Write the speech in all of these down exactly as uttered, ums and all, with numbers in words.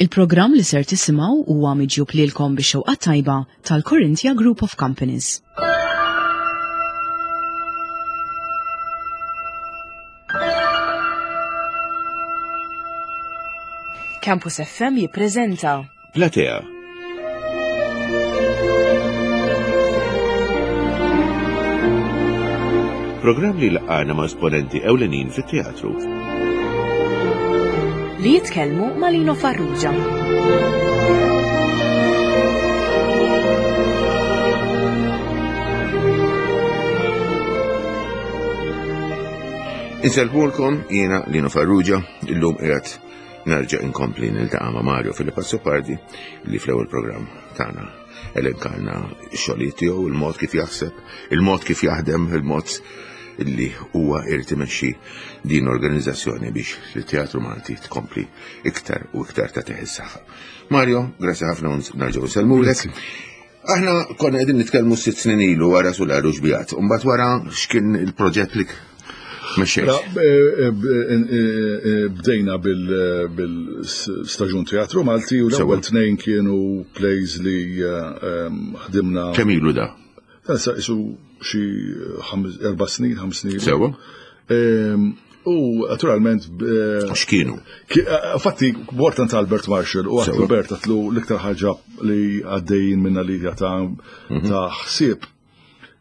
Il-programm li ser tisimgħu huwa miġjub lilkom bix-xewqa tajba tal-Corinthia Group of Companies. Campus F M jippreżenta Platea. Programm li laqgħana ma' esponenti ewlenin fit-teatru. Li jitkellmu ma' Lino Farrugia. Insellmulkom jiena Lino Farrugia, illum qiegħed nerġa' inkompli niltaqa' ma' Mario Philip Azzopardi li fl-ewwel programm tagħna elenkalna x-xogħlijiet tiegħu, il-mod kif jaħseb, il-mod kif jaħdem, il-mod illi huwa irid imexxi din l-organizzazzjoni biex l-Teatru Malti tkompli iktar u iktar tagħtih is-saħħa. Mario, grazzi ħafna u nerġgħu nsellmulek. Aħna konna qegħdin nitkellmu sitt snin ilu wara Sular u Xbijat, u mbagħad wara x'kien il-proġett li mexxejt? La, eh, eh, eh, bdejna bil-, bil-staġun Teatru Malti u l-ewwel Sewa. tnejn kienu plays li, eh, ħdimna. Kemm ilu da? Dan sa isu xi ħames, erba' snin, ħames snin. Sewa. Ehm, u naturalment, eh, X'kienu? Ki-, eh, infatti, mort għand Albert Marshall u għatlu Sewa. Bert għatlu l-iktar ħaġa li għaddejjin minna li hija ta' Mhm. ta' ħsieb.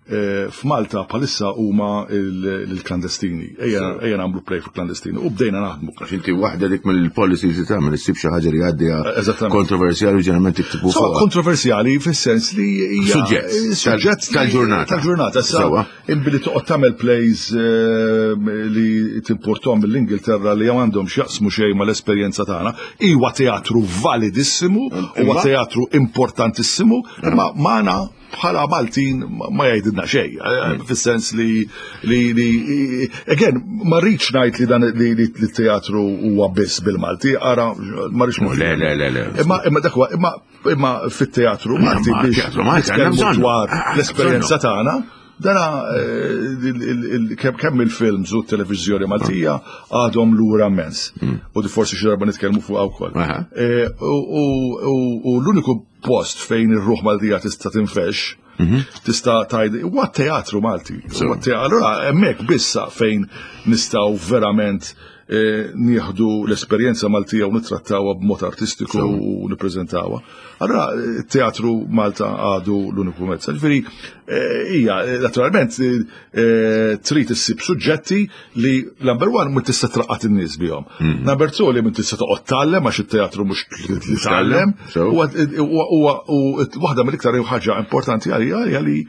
Eh, f'Malta bħalissa huma il-, il-klandestini. Ejja, Sewa. ejja nagħmlu play fuq klandestini u bdejna naħdmu. Għax inti waħda dik mill-policies li tagħmel issib xi ħaġa li għaddejja Eżattament. kontroversjali u ġeneralment tiktbu Sewa, fuqha. kontroversjali fis-sens li hija Suġġett suġġett tal-, tal-ġurnata. Tal-ġurnata. Issa, Sewa. imbilli toqgħod tagħmel plays, eh, li timportom mill-Ingilterra li għandhom x'jaqsmu xejn mal-esperjenza tagħna, huwa teatru validissimu, huwa Imma? teatru importantissimu, imma magħna bħala Maltin ma, ma jgħidilna xejn, eh, fis-sens li, li, li, again, ma rridx ngħid li dan li, li, li teatru huwa biss bil-Malti, ara, ma rridx Le, le, le, le. Imma, imma dak huwa, imma, imma fit-teatru Malti Imma biex teatru Malti għandna nitkellmu bżonn. dwar Ah, l-esperjenza bżonnu. tagħna, dana, eh, il, il, il, kemm, kemm il-films u t-televiżjoni Maltija għadhom lura immens. Mm. U di forsi xi darba nitkellmu fuqha wkoll. Aha. Eh, u, u, u, u l-uniku post fejn ir-ruħ Maltija tista' tinfex, Mhm. tista' tgħid huwa teatru Malti. So. Huwa te-, allura hemmhekk bissa fejn nistgħu verament, eh, nieħdu l-esperjenza Maltija u nittrattawha b'mod artistiku So. u nippreżentawha. Allura teatru Malta għadu l-uniku mezz. Ġifieri, eh, hija, eh, naturalment, eh, trid issib suġġetti li number one ma tista' traqqat in-nies bihom. Mm. Number two li ma tista' toqgħod tgħallem għax it-teatru mhux li tgħallem. So. Huwa, huwa, huwa, u waħda mill-iktar ħaġa importanti għalija hija li,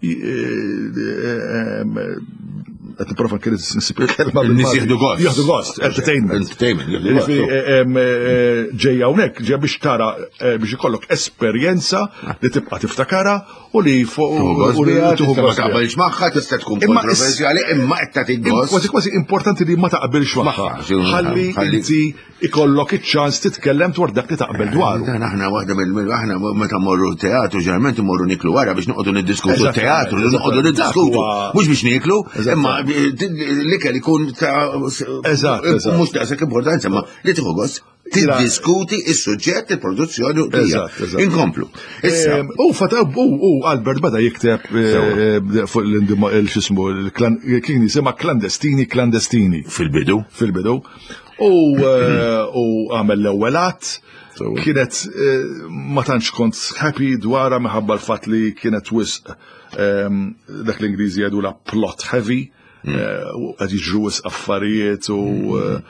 eh, eh, qed nipprova nkun nsib il-kelma In-nies bil-Malti. jieħdu gost. Jieħdu gost, entertainment. Entertainment, jieħdu gost. Ġifieri, eh, em, eh, ġejja hawnhekk, ġejja biex tara, eh, biex ikollok esperjenza li tibqa' tiftakara u li fuq Tieħu gost u li biha, tieħu tista' ma gost biha. taqbilx magħha, tista' tkun Imma is- kontroversjali, imma qed tagħti gost. Kważi kważi importanti li ma taqbilx magħha. Magħha, xi Ħalli ħalli inti ikollok iċ-ċans titkellem dwar dak li taqbel dwaru. Dan aħna waħda mill-, mill-, aħna meta mmorru teatru, ġeneralment immorru niklu wara biex noqogħdu niddiskutu Eżattament, teatru, eżattament. noqogħdu niddiskutu. Dak huwa Mhux biex niklu, Eżattament. imma l-ikel ikun ta' Eżatt, eżatt. mhux daqshekk importanza, ma li tieħu gost tiddiskuti is-suġġett, il-produzzjoni u l-bqija. Eżatt, eżatt. Inkomplu. Issa. Ehm, u fata, u, u Albert bada jikteb, eh, Sewa. fuq l-indima, il-xismu, il-klan, kien jisimha klandestini, klandestini. Fil-bidu. Fil-bidu. U, eh, u għamel l-ewwel att. Sewa. Kienet, eh, ma tantx kont happy dwarha minħabba l-fatt li kienet wisq, ehm, dak l-Ingliżi jgħidu la plot heavy, Mm. eh, u qed jiġru wisq affarijiet u, eh,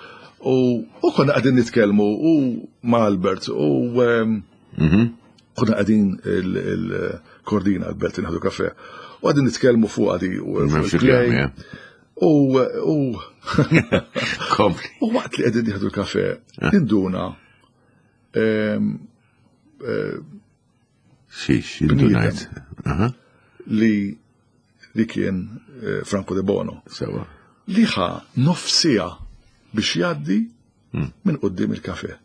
u, u konna qegħdin nitkellmu u ma' Albert u, ehm, Mhm. konna qegħdin il-, il-Kordina Albert inħadu kafe. U qegħdin nitkellmu fuq għadi u M'hemmx fuq il-play. il-kliem, ja. U, u Kompli. U waqt li qegħdin nieħdu l-kafe, Eh. induna, ehm, eh, Xiex, indunajt. Aha. li, li kien, eh, Franco De Bono. Sewa. Li ħa nofsija biex jgħaddi Hmm. minn quddiem il-kafe.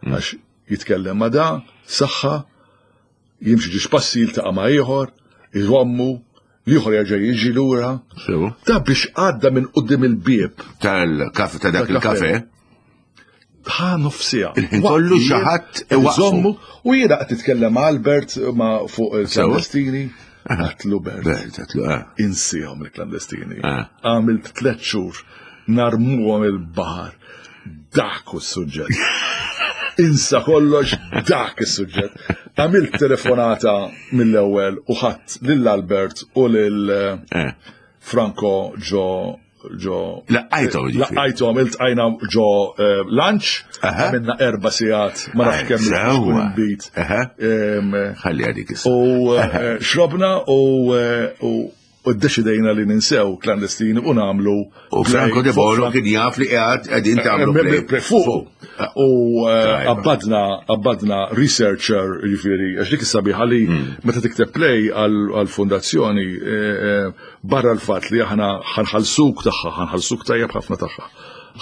Hmm. Għax jitkellem ma' da, saħħa, jimxi ġiex passi jiltaqa' ma' ieħor, iżommu, l-ieħor jerġa' jiġi lura. Sewa. Da biex għadda minn quddiem il-bieb. Tal-kafe, ta' dak Tal-kafe. il-kafe. Ħa nofsija. Il-ħin kollu xi ħadd iwaqqfu. U jiena qed titkellem Albert ma fuq il-klandestini. Għedtlu Bert. Bert, għedtlu, ah. Insihom il-klandestini. Ah. Għamilt tliet xhur narmuhom il-baħar. Dak hu s-suġġett. Insa kollox, dak is-suġġett. Għamilt telefonata mill-ewwel u ħadt lil Albert u lil Eh. Franco ġo ġo Laqqajthom, ġifieri. Laqqajthom, iltqajna ġo eh, lunch, Aha. għamilna erba' sigħat, ma nafx kemm Sewwa. bit. Aha. Em, Ħalli għadik issa. U eh, xrobna u eh, u u ddeċidejna li ninsew klandestini u nagħmlu U Franco De Bono kien jaf li qiegħed qegħdin tagħmlu play. play fuq. U eh, Tajba. qabbadna qabbadna researcher, ġifieri, għax dik is-sabiħa li meta tikteb play għal-fondazzjoni eh, eh, barra l-fatt li aħna ħa nħallsuk tagħha, ħa nħallsuk tajjeb ħafna tagħha.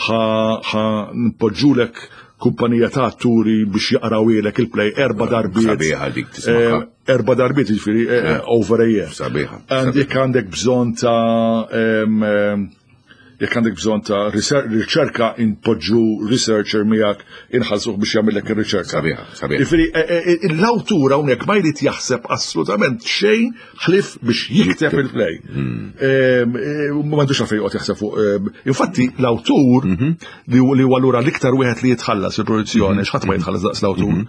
Ħa npoġġulek kumpanija ta' atturi biex jaqrawilek il-play erba' darbiet. Sabiħa dik tismaha. Eh, Erba' darbiet, ġifieri, eh, over a year. Sabiħa. And jekk għandek bżonn ta' em, em, jekk għandek bżonn ta' riser- riċerka, inpoġġu researcher miegħek, inħallsuh biex jagħmellek ir-riċerka. Sabiħa, sabiħa. Jifieri, eh, eh, l-awtur hawnhekk ma jrid jaħseb assolutament xejn ħlief biex jikteb il-play. Em, eh, Ma m'għandux għalfejn joqgħod jaħseb fuq. em, Infatti l-awtur li hu- li huwa allura l-iktar wieħed li jitħallas il-produzzjoni, għax ħadd ma jitħallas daqs l-awtur.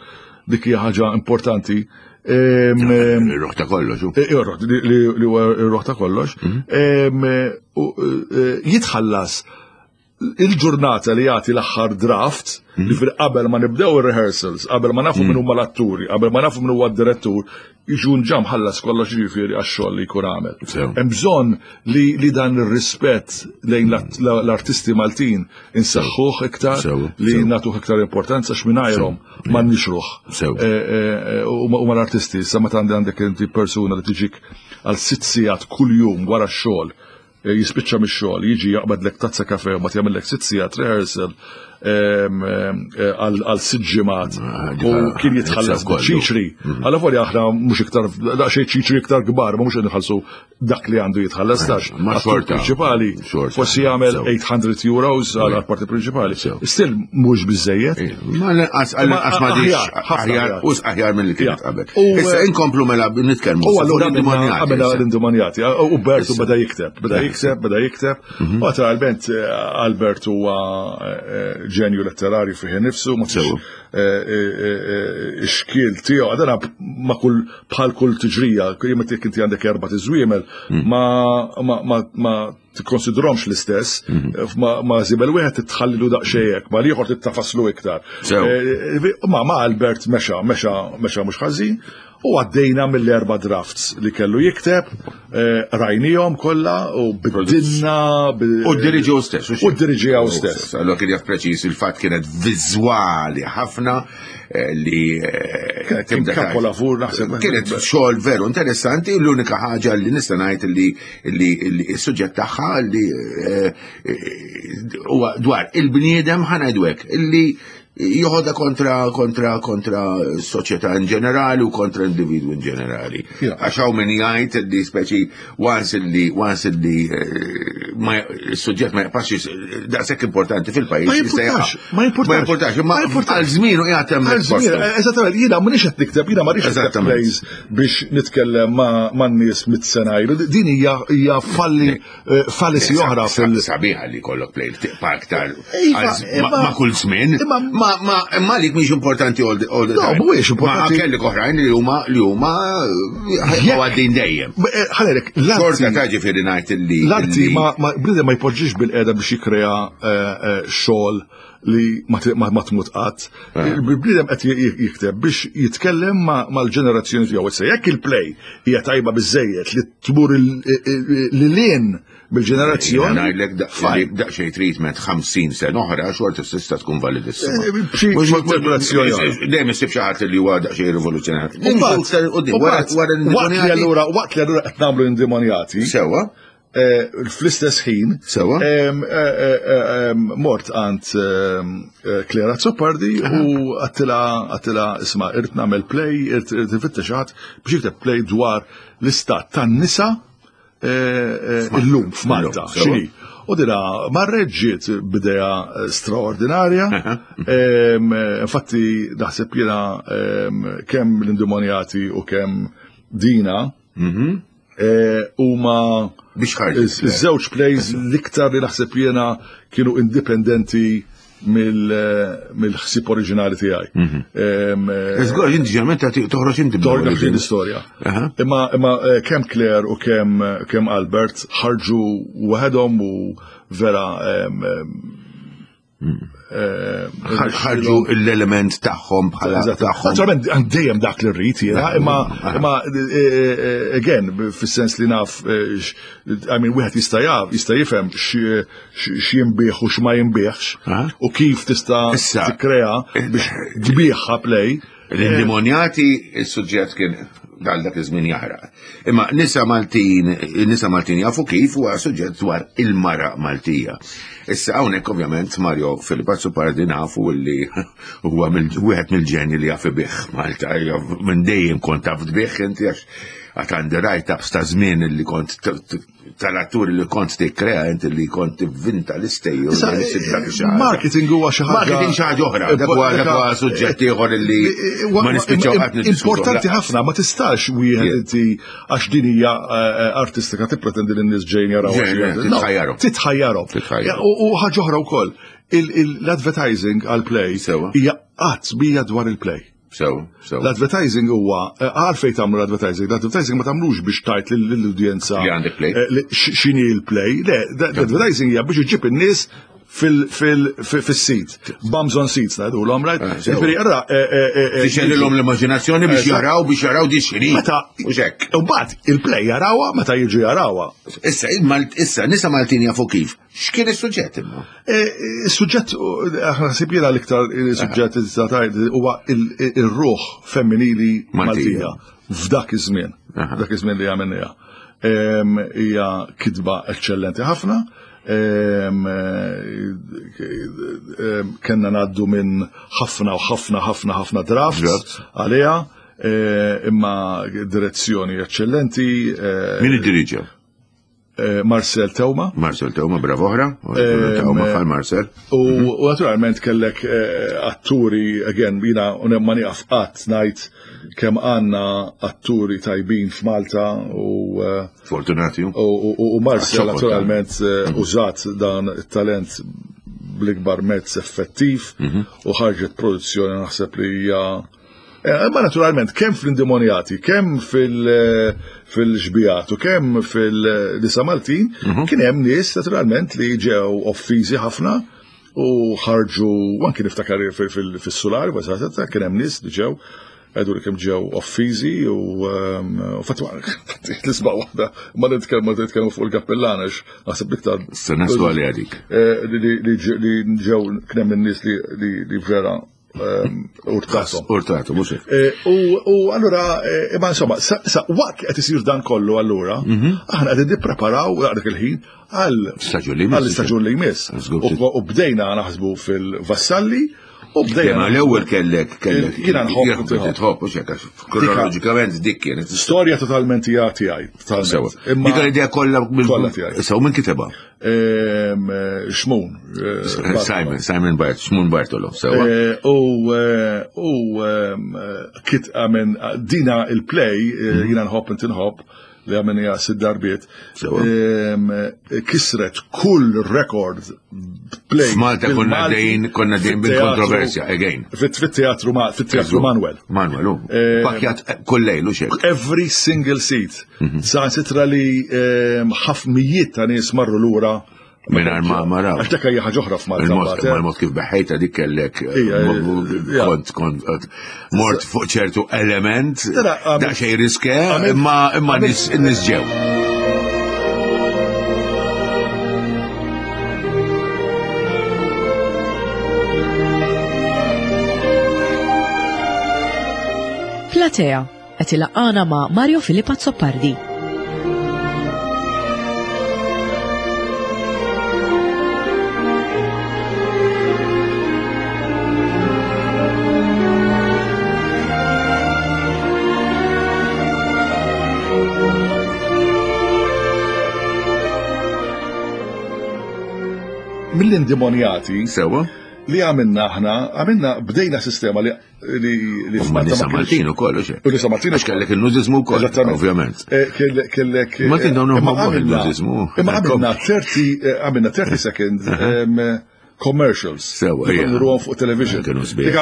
Dik hija ħaġa importanti. Em, em, Ir-ruħ ta' kollox. hu. Eh, Ir-ruħ, li li huwa ir-ruħ ta' kollox, em, eh, u, eh, jitħallas il-ġurnata li jagħti l-aħħar draft, li fil qabel ma nibdew ir-rehearsals, qabel ma nafu min huma l-atturi, qabel ma nafu min huwa d-direttur, jiġu ġa mħallas kollox, ġifieri, għax-xogħol li jkun għamel. Sew. Hemm bżonn li li dan ir-rispett lejn l-artisti Maltin insaħħuh iktar, Sew, li sew. nagħtuh iktar importanza x'mingħajrhom m'għandniex ruħ. Sew. Eh, eh, eh, U ma l-artisti, sa meta għandek inti persuna li tiġik għal sitt sigħat kuljum wara x-xogħol, eh, jispiċċa mix-xogħol, jiġi jaqbadlek tazza kafe u ma jagħmellek sitt sigħat rehearsal em, em, eh, għal għal sitt ġimgħat Ah, u kien jitħallas kollu. ċiċri. Għalla volja aħna mhux iktar daqsxejn ċiċri iktar kbar, ma mhux nħallsu dak li għandu jitħallas tax. Ma Attur xorta. prinċipali Xorta. forsi jagħmel Sew. eight hundred euros għal parti prinċipali. Sew. Still mhux biżejjed. Ma l-inqas għall-inqas ma Ma diċ aħjar, ħafna aħjar, aħjar. us aħjar minn li kienet Ja. qabel. U, Issa eh, inkomplu mela nitkellmu. U fuq allura l-indemonjati għamilna issa. l-indemonjati. U Bertu beda jikteb, beda jikteb, beda jikteb. U naturalment eh, Albert huwa eh, ġenju letterarju fih nifsu, ma fix Sew. xkiel tiegħu. Għadana ma kull bħal kull tiġrija, jien jekk inti għandek erba' tiżwiemel, ma ma ma ma tikkonsidromx l-istess, ma ma żibel wieħed titħallilu daqsxejn, ma l-ieħor tittafaslu iktar. Sew. Eh, Ma ma Albert mexa, mexa, mexa mhux ħażin, u għaddejna mill-erba drafts li kellu jikteb, eh, rajnihom kollha u biddilna. U d-diriġi stess. U d-diriġi stess. Allora kien jaf preċis il-fatt kienet viżwali ħafna eh, li eh, Kienet kien tibda tgħid. kapolavur, naħseb. Kienet xogħol veru interessanti, l-unika ħaġa li nista' ngħid li li li s-suġġett tagħha li eh, eh, huwa dwar il-bniedem, ħa ngħidu hekk, illi joħodha kontra kontra kontra s-soċjetà in ġenerali u kontra individwu in ġenerali. Ja. Għax hawn min jgħid li speċi once li once li eh, ma s-suġġett ma jibqax daqshekk importanti fil-pajjiż. Ma jista' jimpurtax, jaqa'. ma jimpurtax. Ma jimpurtax, imma Ma jimpurtax. għal żmien u qiegħed hemm Għal żmien, postu. eżattament, jiena m'iniex qed nikteb, jiena ma rridx nikteb Eżattament. plays biex nitkellem ma' ma' nies mitt sena ilu. Din hija hija falli eh, fallacy oħra fil- Sabiħa li kollok play tibqa' aktar Iva, għal z- ma imma- ma' kull żmien. imma- Ma ma imma lik mhix importanti all the all the No, time. mhuwiex importanti. Ma kellek oħrajn li huma li huma Jekk- għaddin dejjem. Eh, Ħalek, Xorta l-arti ta' ġifieri ngħid li l-arti li- ma ma bniedem ma jpoġġix bil-qeda biex jikrea eh, eh, xogħol li ma ti- ma ma tmut qatt. Il-bniedem qed j- jikteb biex jitkellem ma- mal-ġenerazzjoni tiegħu. Issa jekk il-play hija tajba biżejjed li tmur lil hinn bil-ġenerazzjoni. Ngħidlek fine. daqsxejn treatment ħamsin sena oħra xorta tista' tkun validissima. Eh, b'xi- Mhux- xi interpretazzjoni oħra. Dejjem issib xi ħadd li huwa daqsxejn rivoluzzjonarju. U mbagħad- Iktar quddiem, u wara mbagħad, wara waqt li l-indemonjati. allura waqt li allura qed nagħmlu indemonjati, Sewwa. eh, fl-istess ħin, Sewwa. em, eh, eh, em, mort għand em, eh, Clare Azzopardi u għedtilha għedtilha isma', irrid nagħmel play, irrid irrid infittex ħadd biex jikteb play dwar l-istat tan-nisa eh, eh, illum f'Malta. Illum, sewwa. X'inhi? U dina marret ġiet b'idea straordinarja. Infatti naħseb jiena kemm l-Indemonjati u kemm Dina huma biex ħarġet. Iż-żewġ plays l-iktar li naħseb jiena kienu indipendenti mill-ħsieb oriġinali tiegħi. Żgur, inti ġeneralment toħroġ inti Toħroġ l-istorja. Imma imma kemm Claire u kemm kemm Albert ħarġu waħedhom u vera ħarġu l-element tagħhom bħala tagħhom. Naturalment dejjem dak li rrid jiena, imma imma again fis-sens li naf, I mean, wieħed jista' jaf, jista' jifhem x'jinbiegħ u x'ma jinbiegħx u kif tista' tikkrea biex tbigħha play. L-Indemonjati il-suġġett kien dal dak iż-żmien jaħraq. Imma nisa Maltin, nisa Maltin jafu kif huwa suġġett dwar il-mara Maltija. Issa hawnhekk ovvjament Mario Philip Azzopardi nafu li huwa wieħed mill-ġenji li jaf ibih Malta, minn dejjem kont taf tbih inti għax għad għandi write-ups ta' żmien li kont tal-atturi li kont tikkrea inti li kont tivvinta l-istejjer. Marketing huwa xi ħaġa. Marketing xi ħaġa oħra, dak huwa suġġett ieħor li ma nispiċċaw qatt niddiskutu. Importanti ħafna, ma tistax wieħed inti għax din hija artistika tippretendi li n-nies ġejjin jaraw. Titħajjarhom. Titħajjarhom. U ħaġa oħra wkoll, l-advertising għall-play hija qatt bija dwar il-play. So, so. L-advertising huwa għalfejn tagħmlu l-advertising, l-advertising ma tagħmlux biex tajt lill-udjenza li għandek play. X'inhi l-play, le, l-advertising hija biex iġib in-nies fil-seat. Bums on seats ngħidulhom, right? Ġifieri ara Tixgħelilhom l-immaġinazzjoni biex jaraw biex jaraw di x'inhi. Meta mhux hekk. Imbagħad il-play jarawha meta jiġu jarawha. Issa issa nisa Maltin jafu kif. X'kien is-suġġett imma? Is-suġġett naħseb jiena l-iktar suġġett huwa ir-ruħ femminili Maltija f'dak iż-żmien. F'dak iż-żmien li għamilniha. Hija kitba eċċellenti ħafna. Kenna ngħaddu minn ħafna u ħafna ħafna ħafna drafts għaliha, imma direzzjoni eċċellenti. Min iddiriġa? Marcel Teuma. Marcel Teuma, bravo oħra. Teuma bħal Marcel. U naturalment kellek atturi, again, jiena ma nieqaf qatt ngħid kemm għandna atturi tajbin f'Malta u Fortunati. U Marcel naturalment użat dan it-talent bl-ikbar mezz effettiv u ħarġet produzzjoni naħseb li hija. Ma naturalment, kemm fl-Indemonjati, kemm fil-Xbijat u kemm fil-Nisa Maltin, kien hemm nies naturalment li ġew offiżi ħafna u ħarġu, anki niftakar fis-Sular, kien hemm nies li ġew għedu li kemm ġew offiżi u fatwa l-isba' waħda ma nitkellmu nitkellmu fuq il-kappellan għax naħseb iktar. Se naslu għalli għadik. Li ġew kien hemm in-nies li vera urtatom. Urtatom, mhux hekk. U allura, imma insomma, sa waqt qed isir dan kollu allura, aħna qegħdin nippreparaw dak il-ħin għal għall-istaġun li jmiss. U bdejna naħsbu fil-Vassalli u bdejna. Ma l-ewwel kellek kellek. Jiena nħobb tħobb u hekk kronoloġikament dik kienet. Storja totalment hija tiegħi. Dik l-idea kollha kollha tiegħi. Issa u min kitebha? Xmun. Simon, Simon Bart, Xmun Bartolo, sewa. U kit għamen dina il-play, jiena nħobb inti nħobb, li għamenija sitt darbiet, kisret kull rekord play. F'Malta konna dejn, konna dejn bil-kontroversja, again. Fit-teatru fit-teatru Manuel. Manuel, u. Pakjat kull lejl, u xek. Every single seat. Sa sitra li ħafmijiet ta' nies marru lura. Mingħajr ma maraw. Għax dak hija ħaġa oħra f'Malta. Il-mod kif beħejta dik kellek kont kont mort fuq ċertu element daqsxejn riske imma imma nies ġew. Platea qed ilaqqana ma' Mario Philip Azzopardi. Mill-Indemonjati. Sewa. Li għamilna aħna, għamilna bdejna sistema li li li nisa Maltin ukoll, u U nisa Maltin. Għax kellek il-nudiżmu wkoll, ovvjament. Kellek. Maltin dawn huma il-nudiżmu. Imma għamilna thirty għamilna thirty second commercials. Sewa, ija. Nruhom fuq television. Kienu sbieħ.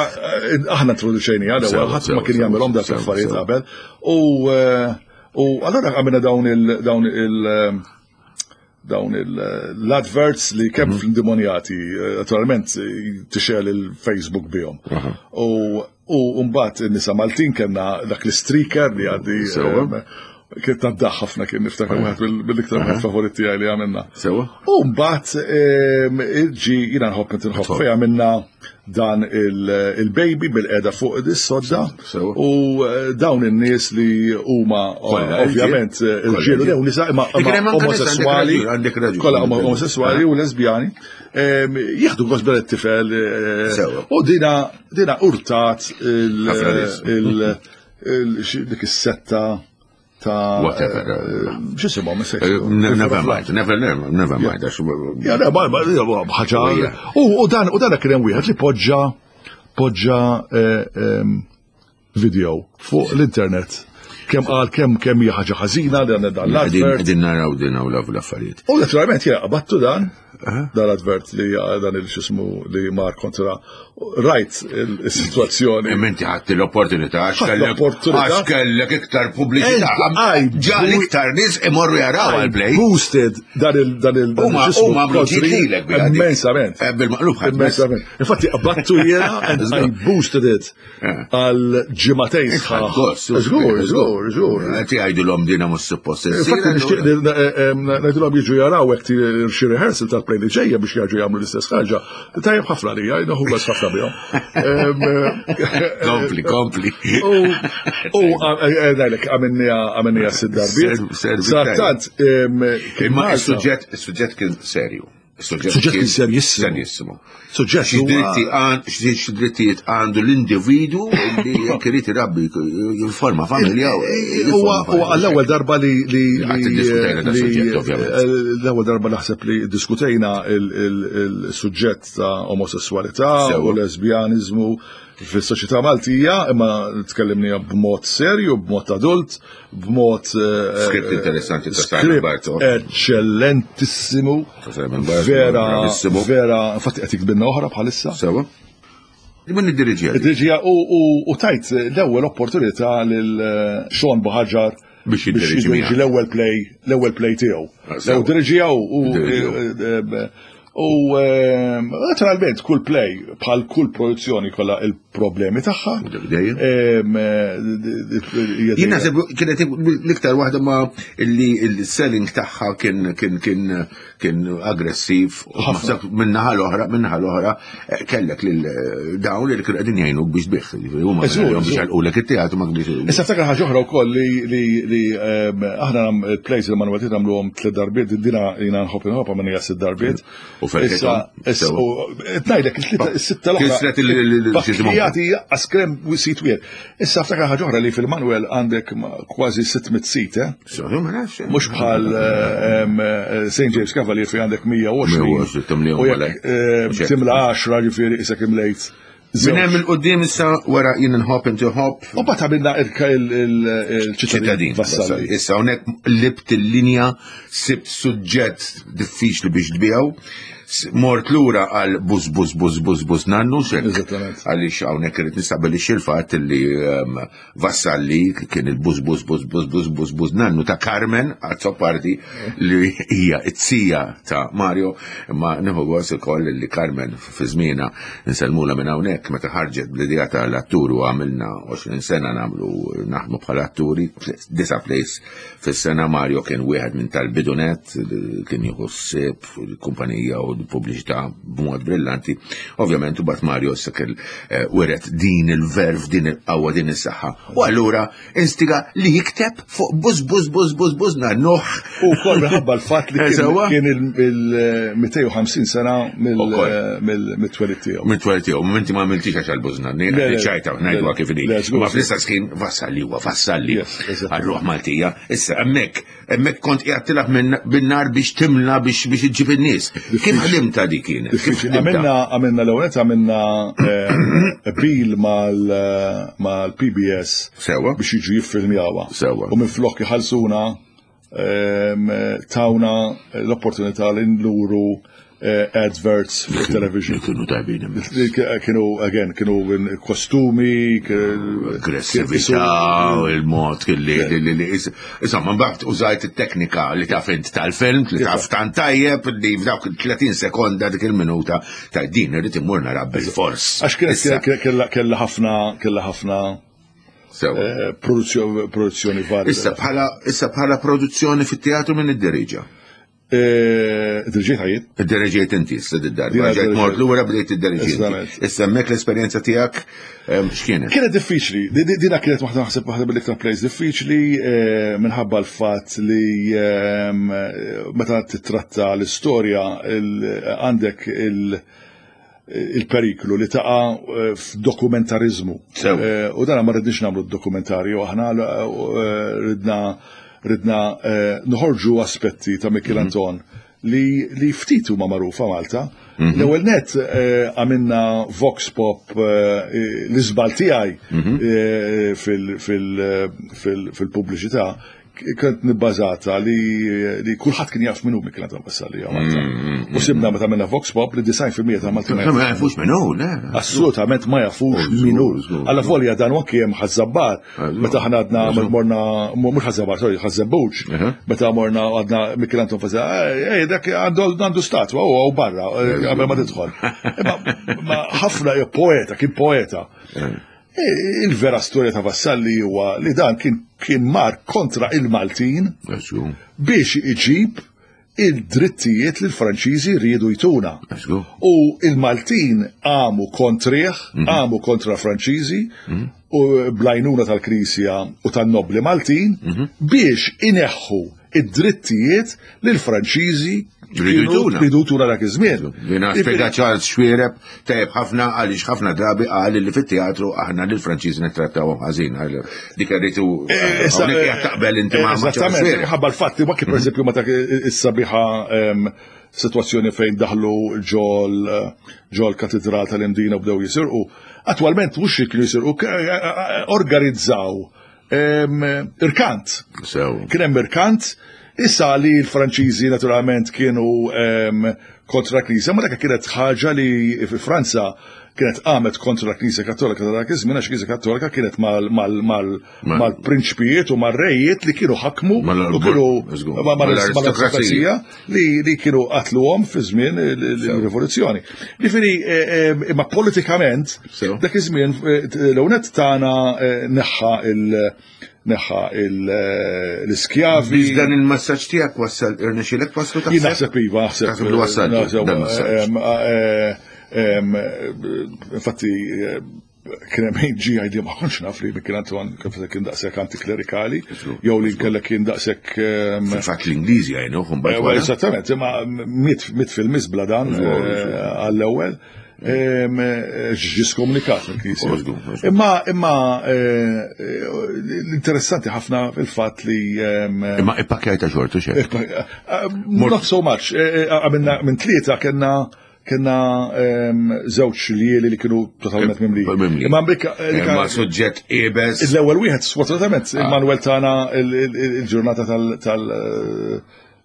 Aħna introduċejni għal ħadd ma kien jagħmelhom dak l-affarijiet qabel. U allura għamilna dawn il dawn il dawn l-adverts li kemm mm -hmm. fl-Indemonjati, naturalment tixel il-Facebook bihom. U mbagħad in-nisa Maltin kellna dak l-streaker li għaddi kien taddaħ ħafna, kien niftakar wieħed bil-iktar wieħed favorit tiegħi li għamilna. Sewa. U mbagħad ġi jiena nħobb inti nħobb fejn għamilna dan il-baby bil-qeda fuq is-sodda u dawn in-nies li huma ovvjament irġiel u nisa imma omosessuali, kollha omosessuali u lesbjani, jieħdu gost bel it-tifel u dina dina urtat il dik is-setta ta' whatever. X'isimhom Never mind, never never mind. Ja, ma ħaġa. U dan u dan kien hemm wieħed li poġġa poġġa video fuq l-internet. Kemm qal kemm kemm hija ħaġa ħażina dan dan l-advert. Qegħdin naraw din hawn l-affarijiet. U naturalment jiena qabattu dan dan l-advert li dan il-xismu li mar kontra rajt il-situazzjoni. Inti ħadd l-opportunità għax kellek iktar pubbliċità. Ġa l-iktar nies imorru jaraw għall-play. Boosted dan il dan il Huma huma lilek immensament. Bil-maqlub ħadd. Immensament. Infatti qabattu jiena and I boosted it għal ġimagħtejn sħaħ. Żgur, żgur, żgur. Qed jgħidulhom dina mhux suppost. Infatti nixtieq ngħidulhom jiġu jaraw hekk xi rehearsal tal-play li ġejja biex jaġu jagħmlu l-istess ħaġa. Tajjeb ħafna li nieħu gost ħafna bihom. Kompli, kompli. U ngħidlek għamilniha għamilniha sitt darbiet. Sadattant imma is-suġġett is-suġġett kien serju. Suġġett kien serjissimo. Serjissimo. Suġġett xi drittijiet għandu l-individu li jekk irid irabbi jifforma familja. Huwa għall-ewwel darba li l-ewwel darba naħseb li diskutejna il-suġġett ta' omosessualità u lesbjaniżmu fis-soċjetà Maltija, imma tkellimni b'mod serju, b'mod adult, b'mod script interessanti ta' Simon Bartolo. Eccellentissimu. Vera, vera, infatti qed jikbilna oħra bħalissa. Sewa. Min iddiriġija? Iddiriġija u tajt l-ewwel opportunità lil Sean Buhagiar biex jiddirieġi l-ewwel play, l-ewwel play tiegħu. L-ewwel diriġija u U naturalment kull play bħal kull produzzjoni kollha il-problemi tagħha. Jien naħseb kienet l-iktar waħda ma li l-selling tagħha kien kien kien kien aggressiv. Naħseb min-naħa l-oħra, min-naħa l-oħra kellek lil dawn li kienu qegħdin jgħinuk biex tbigħ. Huma biex jgħalqulek it-teatru ma kienx. Issa ftakar ħaġa oħra wkoll li li aħna il-plays li Manuel nagħmluhom tliet darbiet, dina jiena nħobb inħobb għamilniha sitt darbiet. U Issa, ngħidlek is-sitta l-oħra. Jagħti askrem sit wieħed. Issa ftakar ħaġa oħra li fil-Manuel għandek kważi sitt mitt sit, eh? Mhux bħal Saint James Cavalier fi għandek mija u għoxrin. U jekk timla għaxra ġifieri isek imlejt. Minn hemm il-qudiem issa wara jien nħobb inti ħobb. U mbagħad għamilna il-ċittadin Vassalli. Issa hawnhekk libt il-linja, sibt suġġett diffiċli biex tbiegħu. Mort lura għal bus bus bus bus bus nannu xek. Għaliex hawnhekk irid nistabbilixxi l-fatt li Vassalli kien il-bus bus bus bus bus bus bus nannu ta' Carmen Azzopardi li hija it-sija ta' Mario, imma nieħu gost ukoll li Carmen fi żmienha nsellmulha minn hawnhekk meta ħarġet bl-idea tal-attur u għamilna għoxrin sena nagħmlu naħdmu bħala atturi, disa' plays fis-sena. Mario kien wieħed minn tal-bidunet, kien jieħu ħsieb il-kumpanija u pubbliċità b'mod brillanti. Ovvjament u bat Mario issa kell wiret din il-verf, din il-qawwa, din is-saħħa. U allura instiga li jikteb fuq bus bus bus bus bus nannuh. U wkoll minħabba l-fatt li kien il-mitejn u ħamsin sena mill-twelid tiegħu. Mill-twelid tiegħu, inti ma għamiltix għax għall-buż nanni, ċajta ngħiduha kif inhi. Ma fl-istess ħin Vassalli huwa Vassalli għar-ruħ Maltija. Issa hemmhekk hemmhekk kont qiegħed tilgħab bin-nar biex timla biex biex iġġib in-nies. Kif ħdimta di kienet? Kif ħdimta? Għamilna għamilna l-ewwel għamilna bil mal-P B S Sewa. biex jiġu jiffilmjawha. Sewa. U minn flok jħallsuna em, tawna l-opportunità li nuru eh, adverts fuq television. Kienu tajbin immens. Li kienu, again, kienu in kostumi, Aggressività, il-mod li li li insomma, mbagħad użajt it-teknika li taf int tal-film, li taf tant tajjeb, li f'dawk tletin sekonda, dik il-minuta ta' din irrid immur nara bil-fors. Għax kienet Issa, kella kella ħafna kella ħafna sewa. eh, produzzjoni produzzjoni varja. Issa bħala issa bħala produzzjoni fit-teatru, minn id-diriġa? Eh, Dirġiet ħajjit? Id-diriġiet inti issa d-darba, Dina ġejt diriġiet. mort lura, bdejt id-diriġiet. Eżattament. Issa hemmhekk l-esperjenza tiegħek em, x'kienet? Kienet diffiċli, Di- di- dina kienet waħda, naħseb, waħda mill-iktar plays diffiċli eh, minħabba l-fatt li ehm, meta titratta l-istorja il- għandek il- il-periklu li taqa eh, f'dokumentarizmu. Sew. Eh, U dan ma rridniex nagħmlu dokumentarju, aħna eh, ridna ridna eh, noħorġu aspetti ta' Mikiel Anton li, li ftit huma magħrufa Malta. L-ewwel net eh, għamilna vox pop, eh, l-iżbal tiegħi eh, fil- fil- fil- fil-pubbliċità kont nibbażata li, li kulħadd kien jaf minnu Mikiel Anton Vassalli Malta. U sibna meta għamilna vox pop li disgħin fil-mija ta' Malti ma Ma jafux minnu, le. assolutament ma jafux Żgur, minu. żgur. Alla volja dan anki hemm Ħaż-Żabbar, Żgur. meta aħna għadna morna, mhux Ħaż-Żabbar, sorry, Ħaż-Żebbuġ, Aha. meta morna għadna Mikiel Anton Vassalli, ej, dak għandu għandu statwa, u għaw barra, eh, qabel ma tidħol. Imma ma ħafna poeta, kien poeta. E, Il-vera storja ta' Vassalli huwa li dan kien kien mar kontra il-Maltin Żgur, biex iġib il-drittijiet li l-Franċiżi riedu jtuna. żgur. U il-Maltin għamu kontrih, għamu kontra Franċiżi, u bl-għajnuna tal-Knisja u tan-nobli Maltin biex ineħħu id-drittijiet li l-Franċiżi Ridu kienu jtuna. ridu jtuna dak iż-żmien. Jina spjega Charles Xuereb tajjeb ħafna, għaliex ħafna drabi qal li fit-teatru aħna lil Franċiżi nittrattawhom ħażin. Għal- Dik rritu Eh, issa, hawnhekk qiegħed taqbel inti ma' ma' Charles Eżattament, Xuereb. ħabba l-fatt li kif pereżempju meta is-sabiħa em, situazzjoni fejn daħlu ġol ġol katedral tal-Imdina u bdew jisirqu. Attwalment mhux kienu jisirqu, k- organizzaw em, irkant. Sew. Kien hemm irkant, issa li l-Franċiżi naturalment kienu em, kontra l-Knisja, ma dak kienet ħaġa li fi Franza kienet qamet kontra l-Knisja Kattolika ta' dak iż-żmien, għax il-Knisja Kattolika kienet mal- mal- mal- Ma- mal-prinċpijiet u mar-rejiet li kienu ħakmu Mal- u kienu żgur. ma- ma- Mal-aristokrazija. mal-aristokrazija li, li kienu qatluhom fi żmien il-rivoluzzjoni. Ġifieri, eh, eh, imma politikament, Sew. dak iż-żmien eh, l-ewnet tagħna eh, neħħa il- neħħa il- eh, l-iskjavi. Biex dan il-messaġġ tiegħek wassal, irnexxielek waslu Jien taħseb? naħseb iva, naħseb. Taħseb li wassaltu naħseb, dan il-messaġġ. em, eh, em, Infatti, eh, kien hemm ħin ġi għajdi ma kontx naf li Mikiel Anton kif kien daqshekk antiklerikali, jew li kellek kien daqshekk em, Fil-fatt l-Ingliżi għajnuh mbagħad Eh, wara. Eżattament, imma miet miet fil-miżbla dan Żgur, eh, għall-ewwel. Em, eh, Ġi skomunikat mill-Knisja. Oh, żgur, żgur. Imma imma eh, eh, l-interessanti ħafna fil-fatt li em, Imma ippakjajta xortu xejn. Eh, Not so much. Eh, eh, Għamilna minn tlieta kena kena em, żewġ lieli li kienu totalment mimli. Mimli. Imma mbik eh, Imma suġġett iebes. l-ewwel wieħed sfortunatament Immanuel tana il- il- il-ġurnata tal tal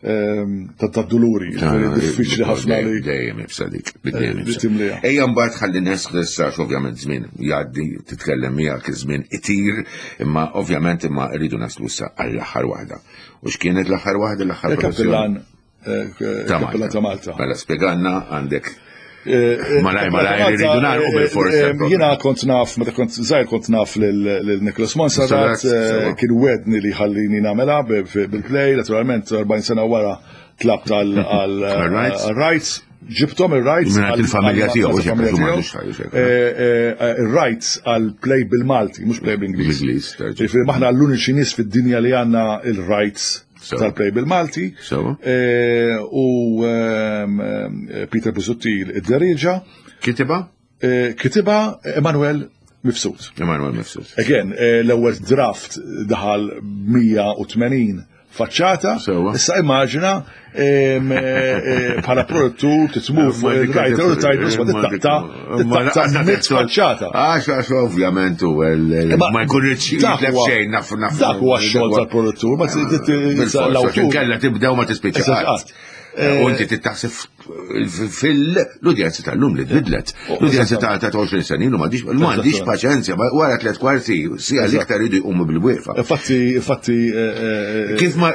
em, tad-duluri. Diffiċli ħafna li Dejjem ibsa dik, dejjem li ibsa. timliha. Ejja mbagħad ħalli nesħissa, ovvjament żmien jgħaddi, titkellem miegħek iż-żmien itir, imma ovvjament imma rridu naslu issa għall-aħħar waħda. U x'kienet l-aħħar waħda, l-aħħar Il-kappillan eh, ta' kappillan ta' Malta. Mela spjegalna għandek Eh, Malaj, malaj, rridu nagħlqu bil-forsa Eh, il-programm. Jiena kont naf, meta kont żgħir kont naf lil Nicholas Monserrat, Monserrat, sewa. eh, kien wedni li ħallini nagħmilha b- b- bil-play, naturalment erbgħin sena wara tlabt għal Għal-rights. rights ġibtom il-rights. Mingħand għal- il-familja għal- tiegħu, għal- x'hekk, familja għax hu tiegħu. m'għandux ħajja, x'hekk. Eh, eh, Il-rights għal play bil-Malti, mhux play bil-Ingliż. Bil-Ingliż, terġa'. Ġifieri maħna l-uniċi nies fid-dinja li għandna il-rights Sewa. tal-play bil-Malti. Sewa. Eh, U ehm, eh, Peter Busuttil id-deriġa. Kitibha? Eh, Kitibha Emanuel Mifsud. Emanuel Mifsud. Again, eh, l-ewwel draft daħal mija u tmenin faċċata. Issa immaġina bħala produttur titmur fuq il-writer u tgħidlu ma tittaqta tittaqta mitt faċċata. Għax għax ovvjament u ma jkun jitlef xejn naf naf. Dak huwa x-xogħol tal-produttur, ma l-awtur. Kella tibdew ma tispiċċa. U inti tittaħseb fil-udjenza tal-lum li tbidlet. L-udjenza ta' ta' għoxrin sena ilu m'għandix paċenzja, wara tliet kwarti sija l-iktar idu jqumu bil-wieqfa. Infatti, infatti. Kif ma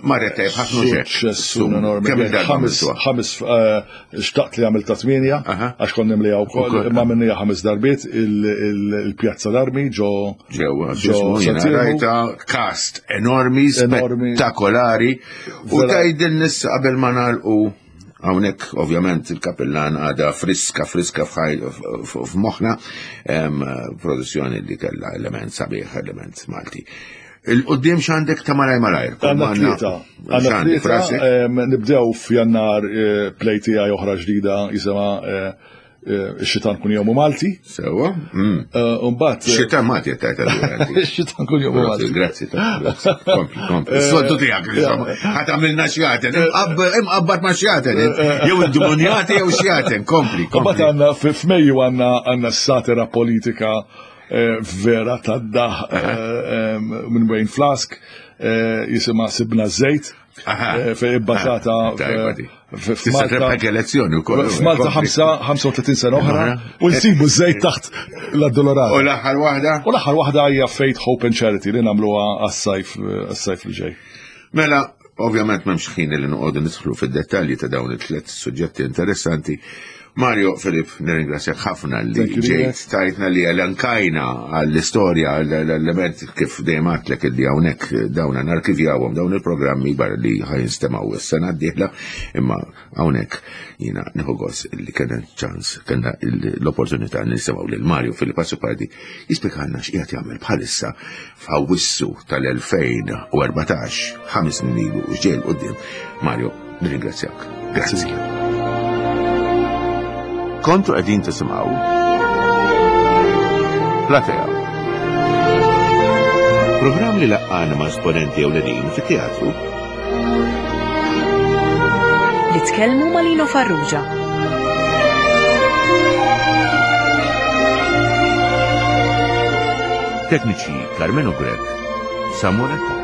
marret tajjeb ħafna suċċess enormi. Ħames, ħames xtaqt li għamilta tmienja, għax konna nimlija wkoll, imma minnija ħames darbiet il-Pjazza l-Armi ġo. Ġewwa, ġo rajta cast enormi, spettakolari, u tgħidilna issa qabel ma nagħlqu hawnhekk ovvjament il-Kapellan għadha friska friska f'moħħna, produzzjoni li kellha element sabiħ, element Malti. Il-qudiem x'għandek ta' malaj malajr? Għandna tlieta. Għandna tlieta, nibdew f'Jannar play tiegħi oħra ġdida jisimha Ix-Xitan Kun Jomu Malti. Sewa. Mbagħad Xitan Malti qed tgħid allura. Ix-Xitan Kun Jomu Malti. Grazzi. Kompli, kompli. Is-soltu tiegħek insomma. Ħadd għamilna xjaten, imqabbad ma' xjaten, jew id-demonjati jew xjaten, kompli. Mbagħad għandna f'Mejju għandna għandna satira politika vera tad-daħ minn Wayne Flask, jisimha Sibna Żejt. Fej bbażata f'Malta elezzjoni wkoll. F'Malta ħamsa u tletin sena oħra u nsibu żejt taħt l-Addolorata. U l-aħħar waħda? U l-aħħar waħda hija Faith, Hope and Charity li nagħmluha għas-sajf għas-sajf li ġej. Mela, ovvjament m'hemmx ħin li noqogħdu nidħlu fid-dettalji ta' dawn it-tliet suġġetti interessanti. Mario Filip, nirringrazzjak ħafna li ġejt tajtna li elenkajna għall-istorja, l-element kif dejjem għedtlek li hawnhekk dawna narkivjawhom dawn il-programmi barra li ħajnstemaw is-sena d-dieħla, imma hawnhekk jiena nieħu gost li kellna ċans, kellna l-opportunità nisimgħu lil Mario Filip Azzopardi jispjegalna x'qiegħed jagħmel bħalissa f'Awwissu tal-elfejn u erbatax, ħames snin ilu u x'ġej 'l quddiem. Mario, nirringrazzjak. Grazzi. Kontu qegħdin tisimgħu Platea. Programm li laqqana ma' esponenti ewlenin fit-teatru. Li tkellmu ma' Lino Farrugia. Tekniċi Carmelo Grech, Samuel Kott.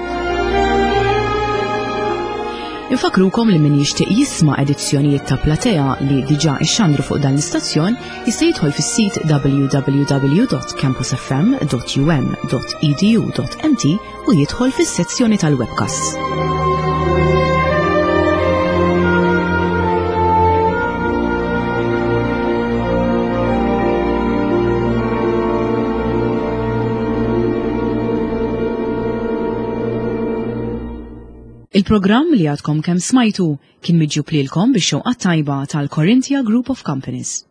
Infakrukom li min jixtieq jisma' edizzjonijiet ta' Platea li diġà ixxandru fuq dan l-istazzjon jista' jidħol fis-sit w w w dot campus f m dot u m dot e d u dot m t u jidħol fis-sezzjoni tal-webcast. Il-programm li għadkom kemm smajtu kien miġjub lilkom bix-xewqa tajba tal-Corinthia Group of Companies.